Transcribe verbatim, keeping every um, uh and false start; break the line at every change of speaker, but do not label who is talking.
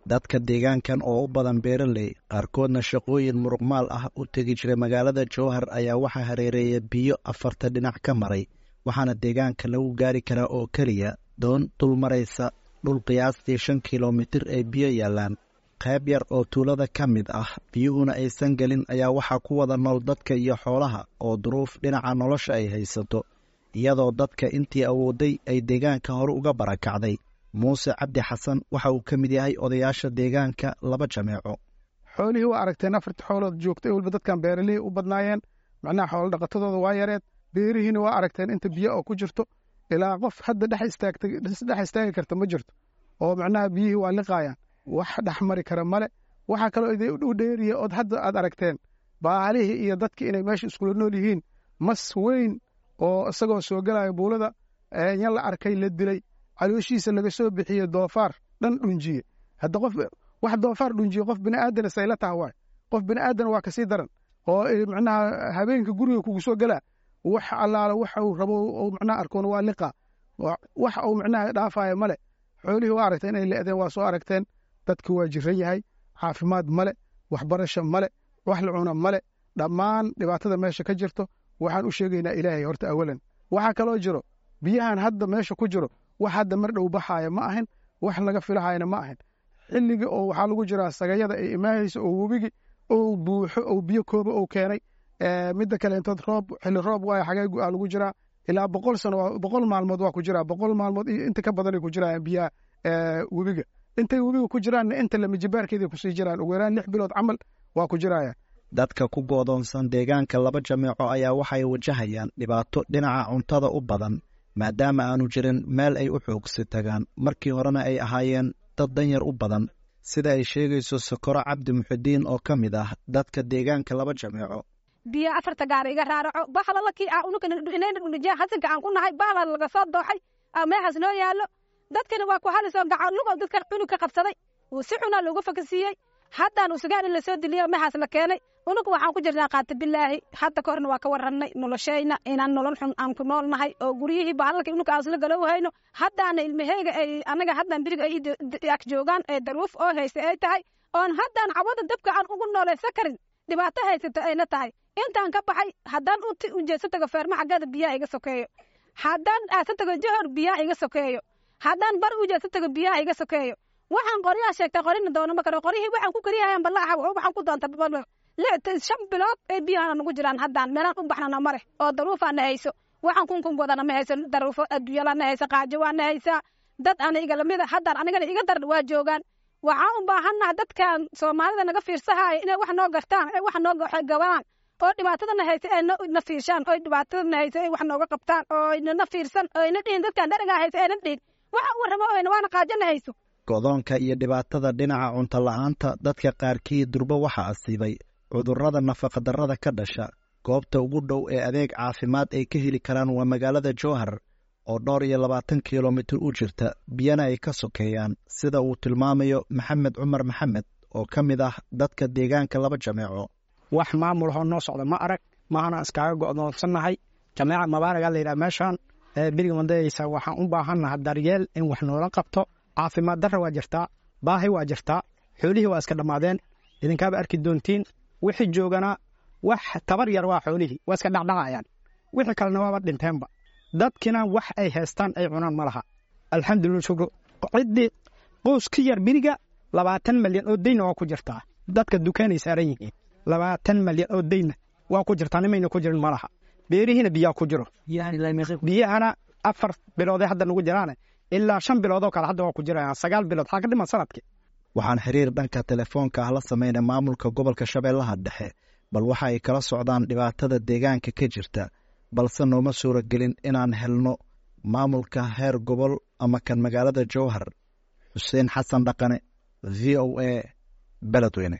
Dadka deegaankan oo u badan beeraley, qaarkoodna shaqooyin muruqmaal ah u tegi jiray magaalada Jowhar, ayaa waxaa hareereeya biyo afarta dhinac ka maray, waxaana deegaanka lagu gaari karaa oo keliya doon dul maraysa dhul qiyaastii shan kilomitir ay biyo yaallaan. Qayb yar oo tuulada ka mid ah biyuhuna aysan gelin ayaa waxaa ku wada nool dadka iyo xoolaha oo duruuf dhinaca nolosha ay haysato, iyadoo dadka intii awooday ay deegaanka hore uga barakacday. Muuse Cabdi Xasan waxa uu ka mid yahay odayaasha deegaanka Laba Jameeco.
Xoolihii waa aragteen, afarta xoolood joogtay walba dadkan beeralihii u badnaayeen, macnaha xoolo dhaqatadooda waa yareed. Beerihiina waa aragteen inta biyo oo ku jirto, ilaa qof hadda dhex istaagtay dhex istaagi karta ma jirto, oo macnaha biyihii waa liqaayaan, wax dhex mari kara male. Waxaa kaloo idin u dheeriya ood hadda aad aragteen baalihii iyo dadkii inay meesha iskula nool yihiin. Mas weyn oo isagoo soo gelaya buulada yan la arkay, la dilay, calooshiisa laga soo bixiyey, doofaar dhan dhunjiye. Hadda qof wax doofaar dhunjiye qof bini'aadana sayla taha waay, qof bini'aadan waa kasii daran, oo macnaha habeenka guriga kugu soo gelaa, wax allaala waxa uu rabo uu macnaha arkoona waa liqa, wax uu macnaha dhaafaya male. Xoolihii waa aragteen inay le'deen, waa soo aragteen. Dadki waa jiran yahay, caafimaad male, waxbarasho male, wax la cuna male. Dhammaan dhibaatada meesha ka jirto waxaan u sheegaynaa Ilaahay horta awalan. Waxaa kaloo jiro biyahan hadda meesha ku jiro, wax hadda mar dhow baxaaya ma ahin, wax laga filahayana ma ahin. Xilligii oo waxaa lagu jiraa sagayada ay imaahayso oo webigi oo buuxo oo biyo kooba oo keenay. Midda kale intood roob, xilli roob waayo, xagee aa lagu jiraa, ilaa boqol sano, boqol maalmood waa ku jiraa, boqol maalmood iyo inta ka badanay ku jirayaan biyaha webiga. Intay webiga ku jiraanna inta lamajibaarkeeday kusii jiraan, ugu yaraan lix bilood camal waa ku jirayaan.
Dadka ku goodoonsan deegaanka Laba Jameeco ayaa waxay wajahayaan dhibaato dhinaca cuntada u badan, maadaama aanu jirin meel ay u xoogsi tagaan, markii horena ay ahaayeen dad danyar u badan, sida ay sheegayso Sokoro Cabdi Muxidiin oo ka mid ah dadka deegaanka Laba Jameeco.
Biyo afarta gaar iga raaraco bahlalakii ah unukana dhunijiya hasanka aan ku nahay, bahla laga soo dooxay meexaas noo yaallo. Dadkana waa ku halisoo gacan lugow dadkan cunug ka qabsaday, si xunaa looga fakasiiyey. Haddaan usugaan in lasoo diliyo meexaas la keenay, unugu waxaan ku jirnaa qaata bilaahi. Hadda ka horna waa ka warannay noloshayna inaan nolol xun aan ku nool nahay, oo guryihii bahlalka unuga aan isla galow hayno. Haddaana ilmaheyga ay anaga haddaan beriga ay ag joogaan ee daruuf oo haysta ay tahay, oon haddaan cawada dabka aan ugu noolaysa karin, dhibaato haysata ayna tahay. Intaan ka baxay haddaan u jeedsa tago feerma xaggeeda biyaha iga sokeeyo, haddaan aasa tago Johor biyaha iga sokeeyo, haddaan bar u jeedsa tago biyaha iga sokeeyo. Waxaan qoryaha sheegtay qorina doono ma karo, qoryihii waxaan ku kariyahayaan ballaaxa waxaan ku doonta shan bilood ee biyahana nagu jiraan. Haddaan meelaan u baxnana ma leh oo daruufaana hayso, waxaan kunkun wadana ma hayso, daruufo adduunyalana hayso, qaajo waana haysaa. Dad ana iga lamida haddaan anigana iga daran waa joogaan. Waxaan u baahannaha dadkan Soomaalida naga fiirsahaaya inay wax noo gartaan, ay wax noo gabaan, oo dhibaatadana haysa ay na fiirshaan, oo dhibaatadana haysa ay wax nooga qabtaan, oo nana fiirsan, oo ayna dhihin dadkan dharagaa haysa, ayna dhihin waxa u warramo oyna waana qaajana hayso.
Godoonka iyo dhibaatada dhinaca cunto la'aanta dadka qaarkii durbo waxa asiibay cudurrada nafaqadarrada ka dhasha. Goobta ugu dhow ee adeeg caafimaad ay ka heli karaan waa magaalada Jowhar oo dhowr iyo labaatan kilomitir u jirta, biyana ay ka sokeeyaan, sida uu tilmaamayo Maxamed Cumar Maxamed oo ka mid ah dadka deegaanka Laba Jameeco.
Wax maamul hoo noo socda ma arag, maahana iskaaga go'doonsannahay. Jameeca Mabaaragaa la yidhaha meeshaan beriga mandayaysa. Waxaan u baahannaha daryeel in wax noola qabto. Caafimaad darra waa jirtaa, baahi waa jirtaa, xoolihii waa iska dhammaadeen, idinkaaba arki doontiin. Wixii joogana wax tabar yar waa, xoolihii waa iska dhacdhacayaan, wixii kalena waaba dhinteenba. Dadkina wax ay haystaan ay cunaan ma laha. Alxamdulillah, shukru. Ciddii qoys ka yar beriga labaatan malyan oo deyna waa ku jirtaa, dadka dukaanay saaran yihiin, labaatan malyan oo deyna waa ku jirtaa, nimayna ku jirin ma laha. Beerihiina biyaa ku jiro, biyahana afar bilooday hadda nagu jiraane, ilaa shan biloodoo kale hadda waa ku jirayaan, sagaal bilood xaa ka dhiman sanadkii.
Waxaan xiriir dhanka telefoonka ah la sameynay maamulka gobolka Shabeellaha Dhexe, bal waxa ay kala socdaan dhibaatada deegaanka ka jirta, balse nooma suuragelin inaan helno maamulka heer gobol ama kan magaalada Jowhar. Xuseen Xasan Dhaqane, V O A, Beledweyne.